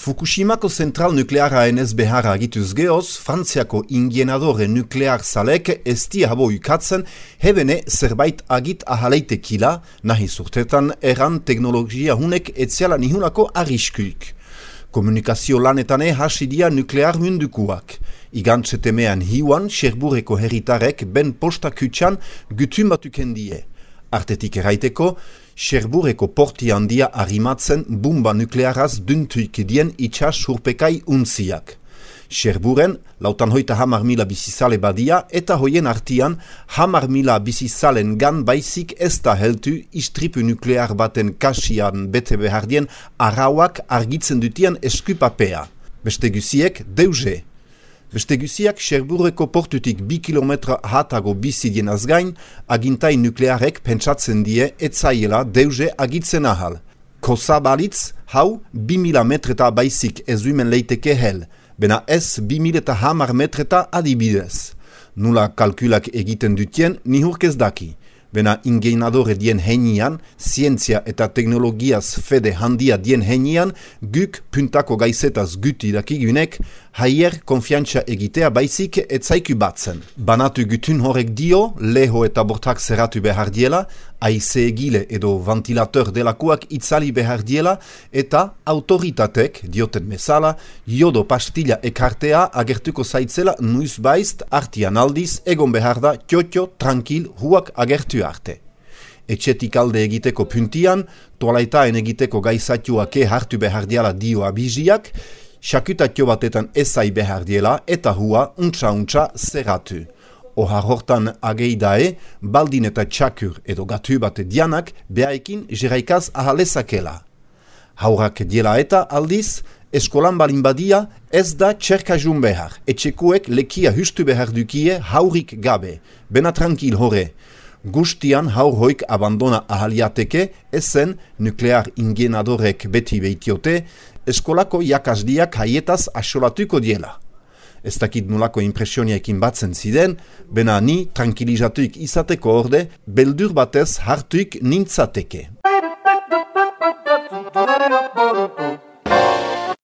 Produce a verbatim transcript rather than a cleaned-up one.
Fukushimako zentral nuklearra enez beharra agituz geoz, Frantziako ingienadore nuklear zalek ez dia habo ukatzen, hebene zerbait agit ahaleitekila, nahi zurtetan eran teknologia hunek etziala nihunako arriskuik. Komunikazio lanetane hasidia nuklear mundukuak. Igantzetemean hiuan, Cherbourgeko herritarek ben posta kutxan gutun batukendie. Artetik eraiteko, Cherbourgeko porti handia arrimatzen bumba nuklearaz duntuik dien itxas urpekai untziak. Cherbourgen, lautan hoita hamar mila bizizale badia eta hoien artian hamar mila bizizalen gan baizik ez da heltu istripu nuklear baten kasian bete behardien arauak argitzen dutien eskupapea. Beste guziek deuze. Beste guziak Cherbourgeko portutik bi kilometra hatago bizidien azgain, agintai nuklearek pentsatzen die etzaiela deuze agitzen ahal. Kosa balitz, hau bi mila metreta baizik ezuimen leiteke hel, bena ez bi mila hamar metreta adibidez. Nula kalkulak egiten dutien nihurkez daki. Bena ingeinadore dien heinian, zientzia eta teknologiaz fede handia dien heinian, guk puntako gaizetaz guti dakigunek, haier konfiantza egitea baizik etzaiku batzen. Banatu gutun horrek dio, leho eta bortak zerratu behar diela, aize egile edo ventilator delakoak itzali behar diela, eta autoritatek, dioten mesala, jodo pastilla ekartea agertuko zaitzela nuiz baizt artian aldiz egon behar da txotxo, tranquil, huak agertu arte. Etxetik alde egiteko puntian, toalaitaen egiteko gaizatuake hartu behar diela dio abiziak, sakutatio batetan ezai behar diela eta hua untsa-untsa zerratu. Ohar hortan ageidae, baldin eta txakur edo gatu bate dianak behaekin jeraikaz ahalezakela. Haurak diela eta aldiz, eskolan balin badia ez da txerkajun behar. Etxekuek lekia hustu behar dukie haurik gabe. Bena tranquil hore. Gustian haur hoik abandona ahaliateke ezen nuklear ingienadorek beti behitiote, eskolako jakasdiak haietaz asolatuko diela. Ez dakit nolako impresioniaekin batzen ziren, bena ni tranquilizatuik izateko orde, beldur batez hartuik nintzateke.